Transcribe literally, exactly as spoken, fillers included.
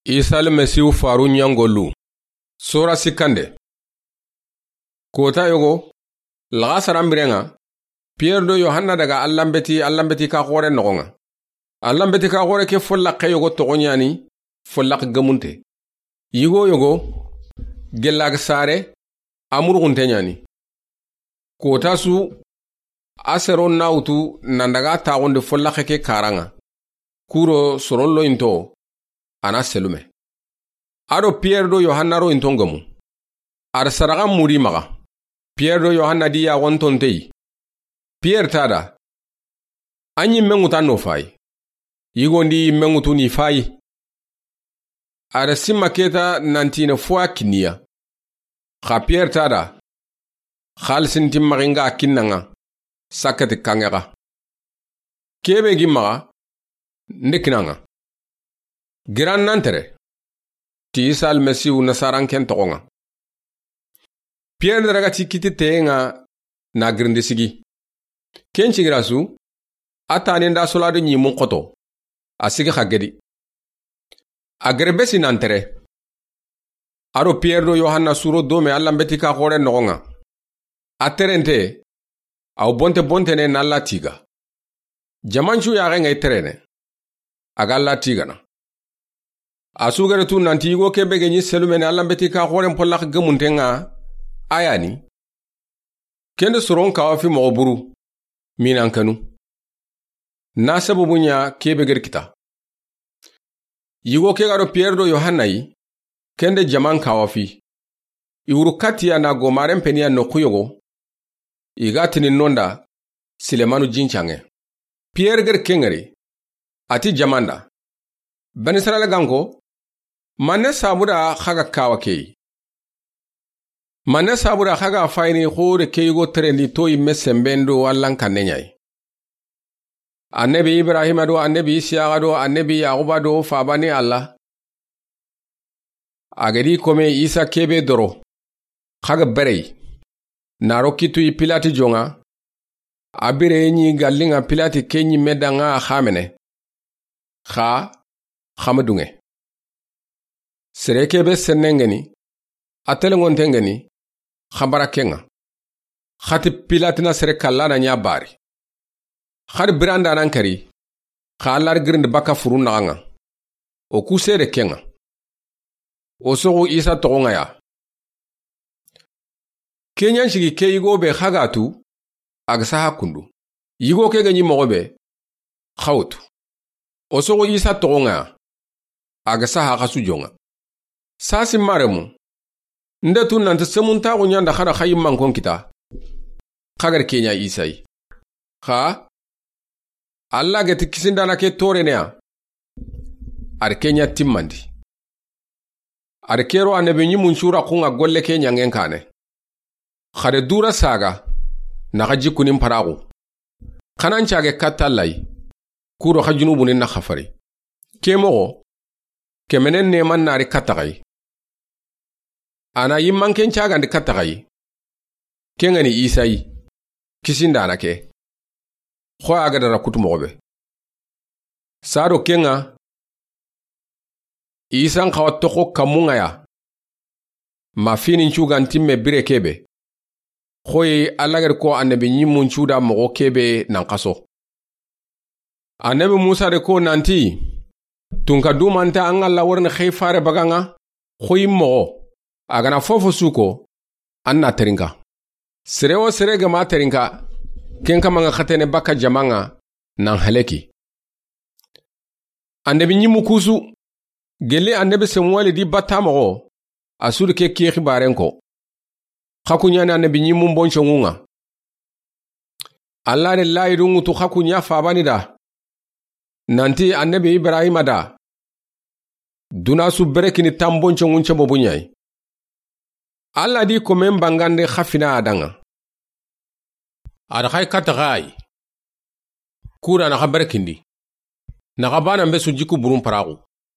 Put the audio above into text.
Isa Almasihu faru ɲangolu. Sora sikkande. Kota yogo, laxasaran biren ŋa, Piyere do Yohanna daga Allanbeti, Allanbeti ka xoore noxon ŋa. Allanbeti ka xoore ke follaxe yogo toxo ɲa ni follaxe gemunte. Yigo yogo, gellage sare, a muruxunte ɲa ni. Kota su, a sero na wutu nan daga taxundi follaxe ke karan ŋa. Kuro soron lo into, a na selume. A do Piyere do Yohanna ro inton gemu. A da sadaxan mudi maxa. Piyere do Yohanna di yaxon tonte yi. Piyere ta da, a ɲi menŋutu an no fayi. Yigondi menŋutu ni fayi. A da simma keta nantine fo a kiniya. Xa Piyere ta da, xalisinti maxinga kinnan ŋa, sakkati kanŋe xa. Kebe gi maxa, nde kinan ŋa. Giran nan tere, ti Isa Almasihu Nasaranken toxon ŋa. Piyere da raga ti kiti teyen ŋa na girindi sigi. Ken cigira su, a tanen da solado ɲimun xoto, a sigi xa gedi. A gere besi nan tere. A do Piyere do Yohanna suro dome Allanbeti ka xoore noxon ŋa. A terente, aw bonte bonte ne na Alla tiga. Jamancu yaxen ŋa i terene. A ga Alla tigana. A su gere tu nanti yigo kebe ge ɲi selumene Allanbeti ka xooren pollaxe gemunten ŋa, a ya ni. Kende soron kawa fi moxo buru, minan kanu. Na sababu ɲa kebe geri kita. Yigo ke ga do Piyere do Yohanna yi, kende jaman kawa fi. I wuru katiya na gomaren peniya noxu yogo. I ga tini nonda, Silemanu jincanŋe. Piyere geri kengeri, a ti jamanda. Bani Israyila ganko, manne sabuda xa ga kawa keyi. Manne sabuda xa ga fayini xore ke yigo terendi to yimme semben do Allan kanne ɲa yi. Annabi Ibrahima do, Annabi Isiyaxa do, Annabi Yaxuba do, fabani Alla. A gedi kome Isa kebe doro. Xa ga berey. Naro kitu yi Pilati jonŋa. A bire ɲi gallinŋa Pilati ke ɲimme danŋa a xamene. Xa, xama dunŋe. Sere kebe sennengeni, a telenŋontengeni, xa bara kenŋa. Xati Pilati na sere kallana ɲa bari. Xari biranda nan kari, xa Alla ri girindi baka furu naxanŋa. O ku sede kenŋa. O soxu Isa toxonŋa ya. Ke ɲan sigi ke yigo be xa ga tu, a ga saha kundu. Yigo ke ga ɲi moxo be, xa wo tu. O soxu Isa toxonŋa ya, a ga saha xa su jonŋa. Sasi maremu, nde tu nanti semuntaxu ɲanda xa da xa yimmankon kita. Xa gari ke ɲa Isa yi. Xa, Alla geti kisindana ke torene ya. A ri ke ɲa timmandi. A ri kero annabi ɲimun cura xunŋa golle ke ɲanŋen kane. Xa de dura saga, na xa jikkunin paraxu. Xanan cage katta Alla yi, kuro xa junubuni na xafari. Ke moxo, kemenen neman nari katta xa yi. A na yimmanken cagandi katta xa yi. Kenŋa ni Isa yi, kisindana ke. Xo a ga dara kutu moxo be. Sado kenŋa, Isan xawa toxo kammunŋa ya. Ma finin cugantimme bire kebe. Xoyi Alla gari ko annabi ɲimun cuda moxo kebe nan xaso. Annabi Musa de ko nanti, tunka dumanta an Alla warini xey fare baganŋa, xoyi moxo, a ga na fofo suko, an na terinka. Sere wo sere ga ma terinka, ken kamanŋa xatene baka jamanŋa, nan haleki. Annabi ɲimu kusu, gelli annabi Samuweli di batta moxo, a sudi ke ki xibaren ko. Xa ku ɲani annabi ɲimun bonconŋunŋa. Alla de layidu ŋutu xa ku ɲa fabani da. Nanti annabi Ibrahima da. Duna su berekini tan bonconŋun cebobu ɲa yi. Alla di komen bangande xa fina a danŋa. A da xay katta xa yi. Kura na xa berekindi. Na xa bana mbe su jikku burun paraxu.